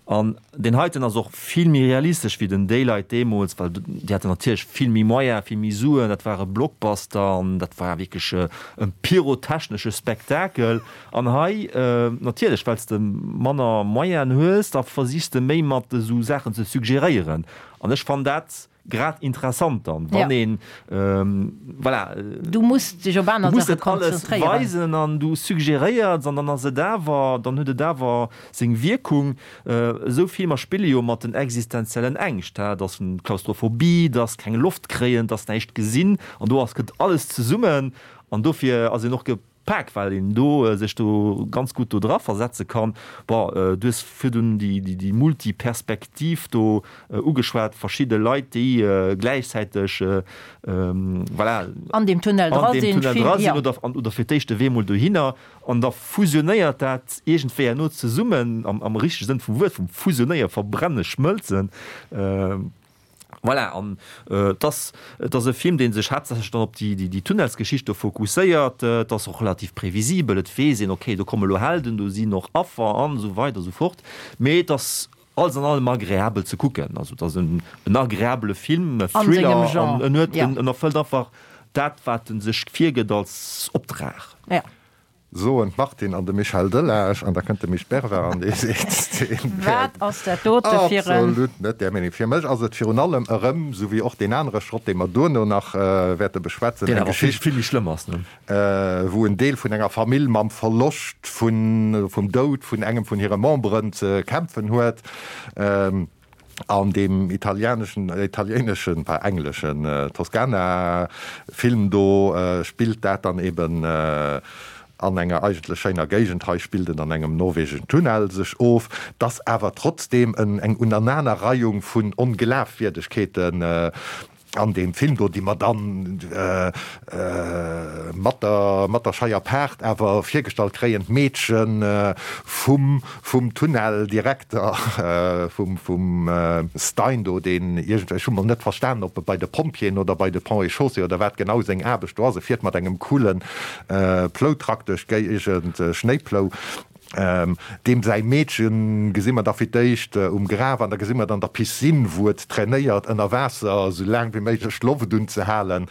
an deen heiten ass och vill méi realistesch wéi den Daylight deemools, well déi haten natierlech vill méi Moyen, vill méi Suen, dat war e Blockbuster an dat war wierklech e pyrotechnesche Spektakel. An hei natierlech, well s de manner Moyenen hues, da versichs de méi mat esou Saachen ze suggeréieren an ech fannen dat grad interessant dann, wann een, voilà, du muss dech op aner Saache konzentréieren, weisen an du suggeréiers an dann ass et awer, dann huet et awer seng Wierkung. Esou Filmer spille jo mat den existenziellen Ängscht, dat ass Klaustrophobie, dat ass keng Loft kréien, dat ass näischt gesinn an do ass kënnt alles zesummen an dofir ass een och Pak, well een do sech do ganz gutt do dra versetze kann. Bon, du hues virdun déi, déi, déi Multiperspektiv do ugeschwat, verschidde Leit, déi gläichzäiteg, voilà, an deem Tunnel dra an deem sinn, Tunnel vill, dra sinn jo. oder, an, oder fir d'éischt de Wee mol dohinner an da fusionéiert dat iergendwéi herno zesummen, am, am richtege Sënn vum Wuert, vum Fusionéieren, Verbrennen, Schmëlzen. Voilà, an et ass, et ass e Film, dee sech haaptsächlech dann op déi, déi Tunnelsgeschicht do fokusséiert. Et ass och relativ previsibel, et weess een, okay, do komme lo Helden, do sinn och Affer an esou weider esou fort. Mee et ass alles an allem agreabel ze kucken. Also et ass en, en agreabele Film, e An sengem Thriller, an Genre, en huet, ja. en erfëllt einfach dat, wat en sech virgëtt als Optrag. Ja. Soen d'Martine an de Michel Delage, an da kënnt de Misch Bervard an dee seet, deen wär Wat ass dat dote fir en. absolut net där Meenung. Fir mech ass et virun allem erëm, esou wéi och deen anere Schrott, dee mer duerno nach wäerte beschwätzen, Deen eng awer vill, Geschicht, vill méi schlëmm ass, ne? wou en Deel vun enger Famill mam Verloscht vun, vum Doud vun engem vun hire Memberen ze kämpfen huet. An deem italianeschen, italiéineschen, enfin engleschen Toscana-Film do spillt dat dann eben an enger eigentlech schéiner Géigend, hei spillt en an engem norwegeschen Tunnel sech of, 't ass awer trotzdeem eng Unanenerreihung vun Onglafwierdegkeeten an deem Film do, déi mer dann mat der, mat der scheier Paart awer virgestallt kréien, d'Meedche vum, vum Tunneldirekter, vum, vum Stein do, deen iergendwéi, ech hu mol net verstanen, ob e bei de Pompjeeën oder bei de Ponts et Chaussées oder wat genau seng Aarbecht do ass, e fiert mat engem coolen Ploutruck duerch d'Géigend, Schnéiplou. Deem säi Meedche gesi mer da fir d'éischt um Graf an da gesi mer et an der Piscine, wou et trainéiert, ënner Waasser esou laang wéi méiglech d'Loft unzehalen.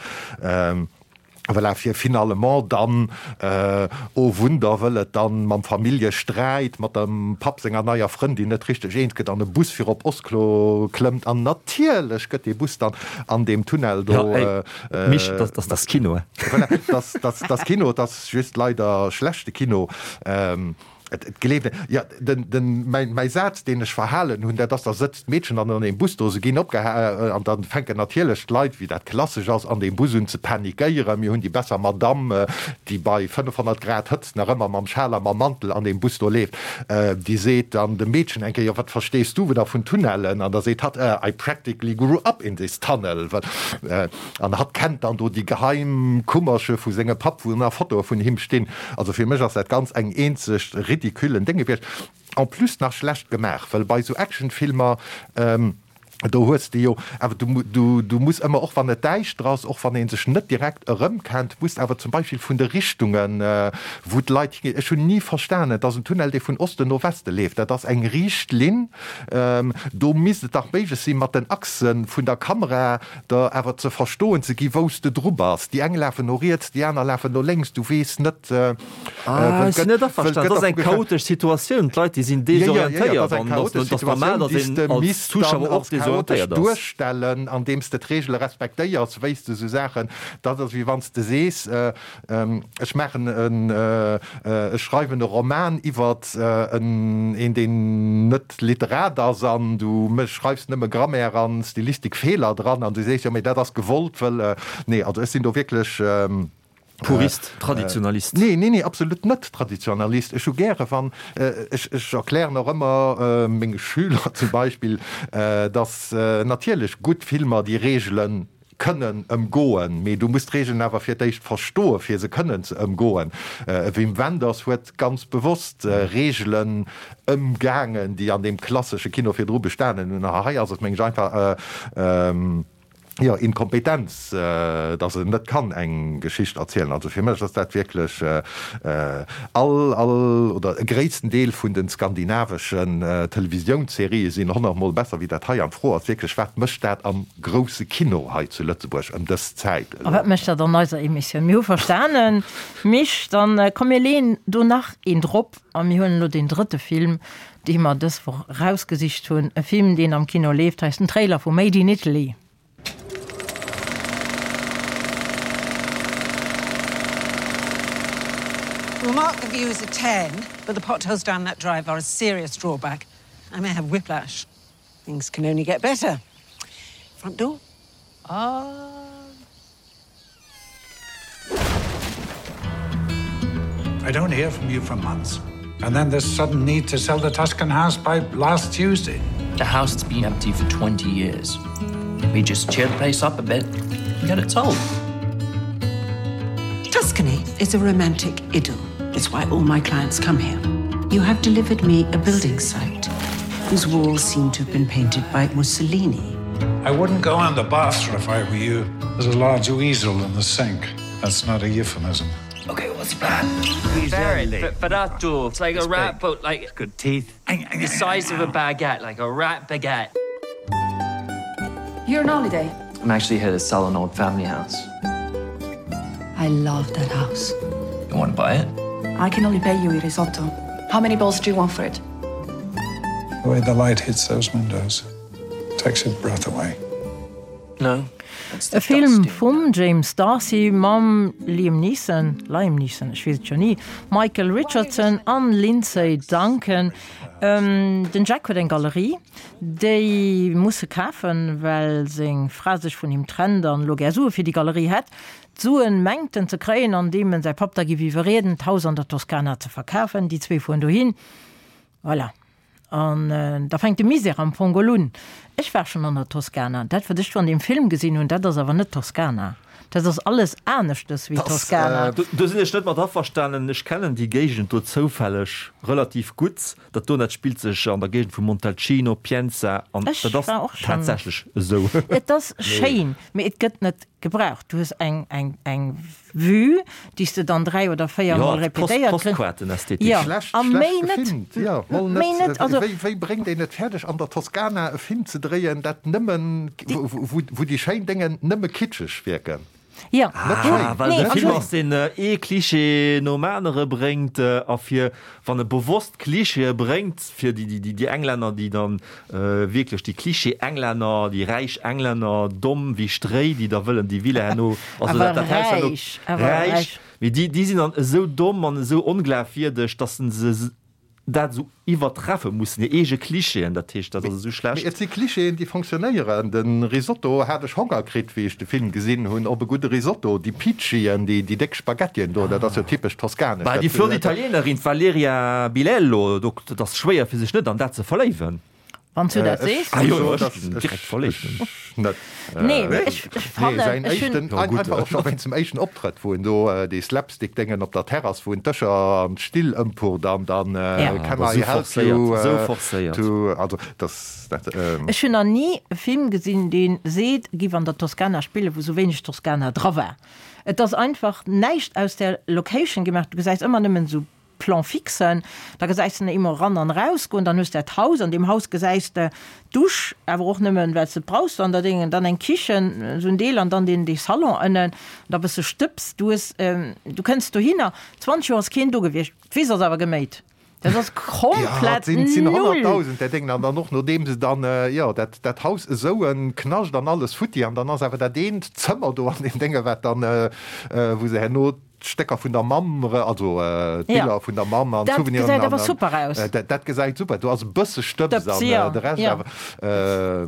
Voilà, fir finalement dann, oh Wunder, wëll et dann mam Familljesträit mat dem Papp senger neier Frëndin net richteg eens gëtt, an e Bus fir op Oslo klëmmt. An natierlech gëtt dee Bus dann an deem Tunnel do. Ja, ey, Mich, dat ass Kino, he? Voilà, dat ass Kino, et ass just leider schlechte Kino. Et gleeft een, jo, den, den, mäi, mäi Saz, deen ech verhalen hunn, dat ass, da sëtzt d'Meedchen dann an deem Bus do, se ginn opgeha an da fänken natierlech d'Leit, wéi dat klassesch ass, an deem Bus un ze panikéieren. Mir hunn déi besser Madamm, déi bei fënnefhonnert Grad Hëtzt nach ëmmer mam Schal a mam Mantel an deem Bus do leeft, déi seet dann dem Meedchen eng Kéier, Jo, wat verstees du da vun Tunnellen? An da seet hatt, I practically grew up in this tunnel. An hatt kennt dann do déi geheim Kummerche vu sengem Papp, wou nach Fotoe vun him stinn. Also fir mech ass dat ganz eng eenzeg ridiculen Déng gewiescht. En plus nach schlecht gemaach, well bei esou Actionfilmer Do hues de jo, awer du, du, du muss ëmmer, och wann et däischter ass, och wann ee sech net direkt erëmkennt, muss awer zum Beispill vun de Richtungen, wou d'Leit higinn, ech hunn ni verstanen, et ass en Tunnel, dee vun Osten no Weste leeft, dat ass eng riicht Linn, do misst et dach méiglech sinn, mat den Achse vun der Kamera der awer ze verstoen ze gi wou s de dru bass. Déi eng lafen no riets, déi aner lafen no lénks, du weess net, Ah, ech sinn net averstanen. Dat ass eng chaotesch Situatioun. D'Leit, déi sinn desorientéiert an et ass normal, datt een als Zuschauer och desorientéiert ass. Duerstellen, andeems de d'Reegele respektéiers, wéi s de esou Saachen, dat ass wéi wann s de sees, ech maachen en, ech schreiwen e Roman iwwert en, een deen net Literat ass an du schreifs nëmme Grammaire an Stilistikfeeler dran an du sees, jo mee dat ass gewollt, wëll, nee, also ech sinn do wierklech. Purist, Traditionalist? Nee, nee, nee, absolut net Traditionalist. Ech hu gäre wann, ech, ech erklären och ëmmer menge Schüler zum Beispill, datt natierlech gutt Filmer déi Reegele kënnen ëmgoen, mee du muss d'Reegelen awer fir d'éischt verstoe fir se kënnen ze ëmgoen. E Wim Wenders huet ganz bewosst Reegelen ëmgaangen, déi an deem klassesche Kino virdru bestanen hunn. A hei ass et, meng ech, einfach, jo, Inkompetenz, dass en net kann eng Geschicht erzielen. Also fir mech ass dat wierklech all, all oder e gréissten Deel vun de skandinaveschen Televisiounsserië sinn honnert Mol besser wéi dat hei. An d'Fro ass wierklech, wat mécht dat am grousse Kino hei zu Lëtzebuerg ëm dës Zäit A elo? wat mécht dat an eiser Emissioun? Mir hu verstanen, Misch, dann komm mir leeën do nach een drop a mir huelen elo deen drëtte Film, dee mer dës Woch erausgesicht hunn, e Film, deen am Kino leeft. Hei ass den Trailer vu Made in Italy. We'll mark the view as a ten, but the potholes down that drive are a serious drawback. I may have whiplash. Things can only get better. Front door? Ah. I don't hear from you for months. And then this sudden need to sell the Tuscan house by last Tuesday. The house has been empty for twenty years. We just cheer the place up a bit and get it sold. Tuscany is a romantic idyll. It's why all my clients come here. You have delivered me a building site whose walls seem to have been painted by Mussolini. I wouldn't go on the bathroom if I were you. There's a large weasel in the sink. That's not a euphemism. Okay, what's the plan? Ferrato. It's like a rat boat like good teeth. The size of a baguette, like a rat baguette. You're on holiday. I'm actually here to sell an old family house. I love that house. You want to buy it? I can only pay you a risotto. How many balls do you want for it? The way the light hits those windows takes your breath away. No. E Film vum James D'Arcy mam Liam Neeson, Liam Neeson, ech weess et jo ni, Michael Richardson an Lindsay Duncan. Den Jack huet eng Galerie, déi muss e kafen, well seng Fra sech vun him trennt an elo gär Sue fir déi Galerie hätt. D'Suen mengt en ze kréien, andeem en säi Papp da giff iwwerrieden, d'Haus an der Toskana ze verkafen. Déi zwee fueren dohin. Voilà. An da fänkt de Misär am Fong geholl un. Ech war schonn an der Toskana. Dat, wat ech do an deem Film gesinn hunn, dat ass awer net Toskana. Dat ass alles aneschtes wéi Toskana. Do sinn ech net mat averstanen. Ech kennen déi Géigend do zoufälleg relativ gutt. Dat do, dat spillt sech an der Géigend vu Montalcino, Pienza, an dat ass tatsächlech esou. Et ass schéin, mee et gëtt net gebraucht. Du hues eng, eng, eng Vue, déi s de dann dräi oder véier Mol repetéiert kriss. Postkaartenästhetik. Jo, Schlecht, a schlecht méi net. gefilmt. Jo, mol Méi net. net. Also. Wéi, wéi bréngt een et fäerdeg, an der Toskana e Film ze dréien, dat nëmmen, wou, wou déi schéin Déngen nëmme kitscheg wierken? Jo. Net schéin. Ah, well Nee, et e Film also. ass, deen ee Klischee nom anere bréngt a fir, wann e bewosst Klischeeë bréngt, fir déi, déi, déi Englänner, déi dann wierklech déi Klischee-Englänner, déi räich Englänner, domm wéi Stréi, déi da wëllen déi Villa herno, also dat, Awer dat Haus herno, räich, awer räich, räich. mee déi, déi sinn dann esou domm an esou onglafwierdeg, dass se se dat esou iwwertreffe mussen, hir eege Klischeeën, dat heescht, dat ass esou Mee schlecht. et si Klischeeën, déi fonctionnéieren. De Risotto hat ech Honger kritt, wéi ech de Film gesinn hunn, op e gudde Risotto. Déi Piccien, déi, déi déck Spaghettien do, dat ass jo typesch toskanesch. Bah, déi Dat, flott dat, Italienerin, d'Valeria Bilello, do, dat ass schwéier fir sech net an dat ze verléiwen. Wann du dat sees. Ah jo, ech sinn direkt verléift. Net. Nee, ech fannen, säin ech hunn. éischten, einfach och scho wéinst dem éischten Optrëtt, wou en do dee Slapstick-Déngen op der Terrass, wou en d'Dëscher an d'Still ëmpurt an dann Can I help you to, also dass dat. Ech hunn nach ni e Film gesinn, dee seet, e giff an der Toskana spillen, wou sou wéineg Toskana dra war. Et ass einfach näischt aus där Location gemaach. Du gesäis ëmmer nëmmen esou Plan-fixen, da gesäis de en ëmmer eran an erausgoen, dann hues de dat Haus, an deem Haus gesäis de d'Dusch, awer och nëmmen, well s de et brauchs, an da Déngen, dann eng Kichen, esou en Deel, an dann deen, dee Salon ënnen, da bësse Stëbs, du hues, du kënns dohinner, zwanzeg Joer ass keen do gewiescht, d'Wiss ass awer geméit, dat ass komplett Ja, et sinn null. honnertdausend där Déngen, an dann och nodeem se dann, jo, dat, dat Haus esou e Knascht an alles futti, an dann ass awer dat eent Zëmmer do an deem Dénge wat dann, wou se herno d'Stécker vun der Mamm, also d'Biller vun der Mamm an d'Souveniren. Dat gesäit awer super aus. Dat gesäit super, do ass e bësse Stëbs an de Rescht awer.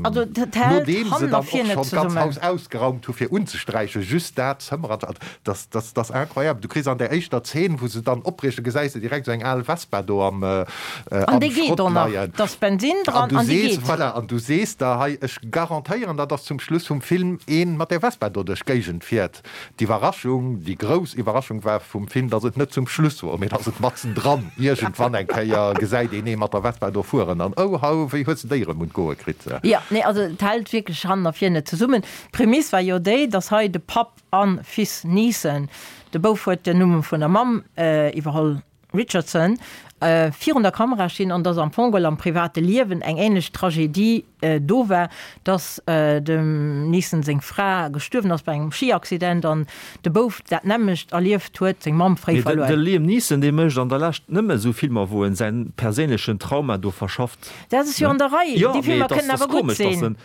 Also dat hält nodeem se dann och schonn d'ganz Haus ausgeraumt hu fir unzesträichen, just dat Zëmmer an dat, dat ass incroyable. Du kriss an där éischter Zeen, wou se dann opbriechen, gesäis de direkt esou eng al Vespa do am An déi geet och nach, da ass Bensin dran an déi geet. Voilà, an du sees der, hei, ech garantéieren der, dass zum Schluss vum Film ee mat där Vespa do duerch d'Géigend fiert. D'Iwwerraschung, déi grouss Iwwerraschung war vum Film, dass et net zum Schluss wor, mee dass et matzendran iergendwann eng Kéier gesäit een ee mat der Vespa do fueren an oh hau, wéi hues de déi erëm un d'Goe kritt? Jo, nee, also et hält wierklech hannen a vir net zesummen. D'Prämiss war jo déi, dass hei de Papp an Fils Neeson, de Bouf huet den Numm vun der Mamm iwwerholl, Richardson, virun der Kamera stinn an dass am Fong geholl am private Liewen eng ähnlech Tragedie do war, dass dem Neeson seng Fra gestuerwen ass bei engem Skiaccident an de Bouf dat nämmlecht erlieft huet, seng Mamm fréi Mee verluer. de Liam Neeson, dee mécht an der Lescht nëmme esou Filmer, wou en säin perséinlechen Trauma do verschafft. Dat ass jo an der Rei, Jo, déi mee Filmer et ass kënnen awer gutt komesch, dass sinn. en.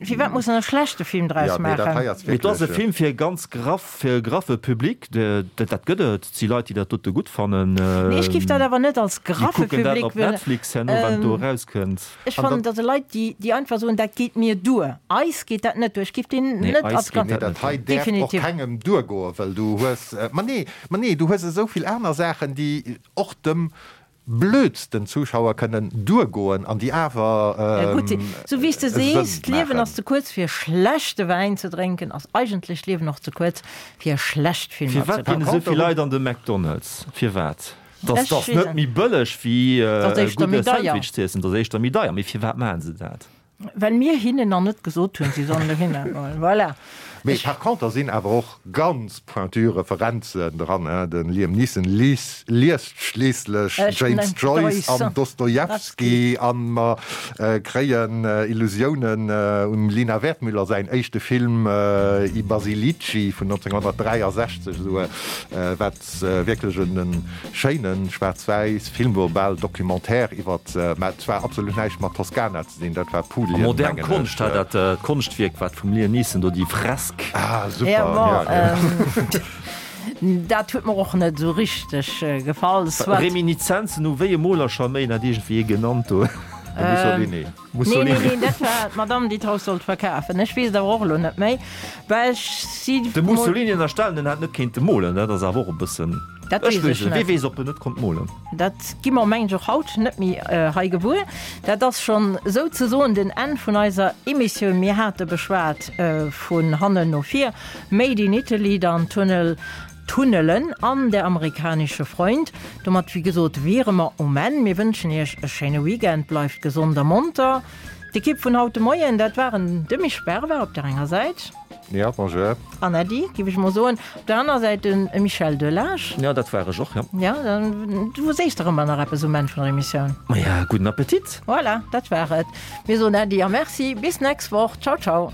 Firwat muss en e schlechte Film draus Ja, mee dat hei maachen? ass Mee et ass e wierklech. Film fir e ganz graff, fir e graffe Public. Dat gëtt et. Et si Leit, déi dat dote gutt fannen. Nee, ech giff dat awer net als Déi graffe kucken dat Public op Netflix herno, wann et do erauskënnt. Ech fannen, dat si Leit, déi, déi einfach soen, dat geet mir duer. Eis geet dat net duer. Ech giff deen Nee, net eis als geet graff. Nee, dat dat net hei duer. däerf och Definitiv. kengem duergoen, well du hues, ma nee, ma nee, du hues esou vill aner Saachen, déi och dem blödsten Zuschauer kënnen duergoen an déi awer Gutt sinn. Sou wéi s de Sënn sees, d'Liewen maachen. ass ze kuerz fir schlechte Wäin ze drénken, ass eigentlech d'Liewen och ze kuerz fir schlecht Filmer ze Firwat ginn kucken. esou vill Leit an de McDonald's? Firwat? Dass Ech ass weess net et. méi bëlleg wéi Dat ass e éischter gudde méi deier. Sandwich ze iessen, dat ass éischter méi deier. Mee firwat maachen se dat? Well mir hinnen nach net gesot hunn, si sollen dohinner goen. Voilà. Mee par contre sinn awer och ganz pointu Referenzen dran, hein. Den Liam Neeson liest schliisslech James Joyce an Dostojewski an mer kréien Illusiounen um Lina Wertmüller säin éischte Film I Basilici vun nonzénghonnertdräiasechzeg, esou wat wierklech en schéine schwaarz-wäiss Film wor, bal Documentaire iwwert, mä et war absolut näischt mat Toskana ze dinn, dat war A Pulien, modern mengen Konscht, ech. dat Konschtwierk wat vum Liam Neeson do, déi Fresk. Ah, super, Ja, bon, ja, ähm, dat huet mer och net esou richteg gefall. Soit. Reminizenzen u wéi e Moler scho méi, hat iergendwéi ee genannt do. De Mussolini. Nee, nee, nee, dat war d'Madame, déi d'Haus sollt verkafen. Ech weess et awer och elo net méi, well ech si. De Mussolini ënnerstellen, en hätt net kéinte molen, dat ass awer och e bëssen. Dat Ech weess weess ech et, wie net. weess, ob en net konnt molen. Dat gi mer mengen ech och haut net méi hei gewuer. Dat ass schonn souzesoen den Enn vun eiser Emissioun. Mir hate beschwat vun hannen no vir, Made in Italy, dann Tunnel, Tunnelen an Der amerikanische Freund. Domat, wéi gesot, wiere mer um Enn. Mir wënschen Iech e schéine Weekend, bleift gesond a monter. D'Ekipp vun haut de Moien, dat waren de Misch Berber op der enger Säit. Ja, bonjour. An Äddi, giff ech mol soen. Op der aner Säit de Michel Delage. Ja, dat war ech och, jo. Ja, dann, du sees dach ëmmer nach eppes um Enn vun der Emissioun. Maja, gudden Appetit. Voilà, dat war et. Mir soen Äddi a Merci. Bis nächst Woch. Ciao, ciao.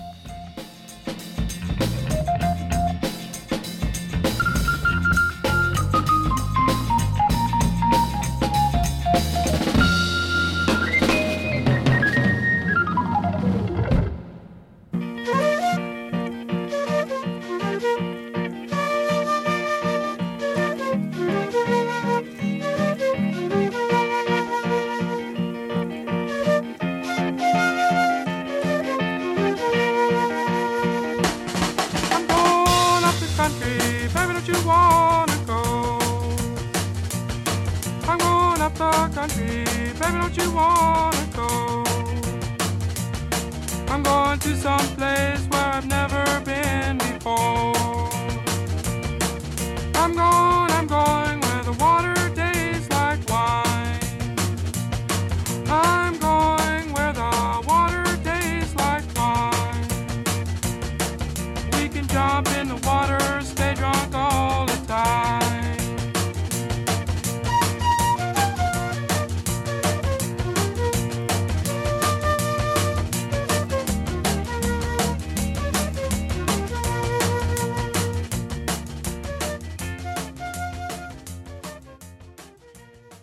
I'm going up the country, baby, don't you wanna go? I'm going to some place where I've never been before.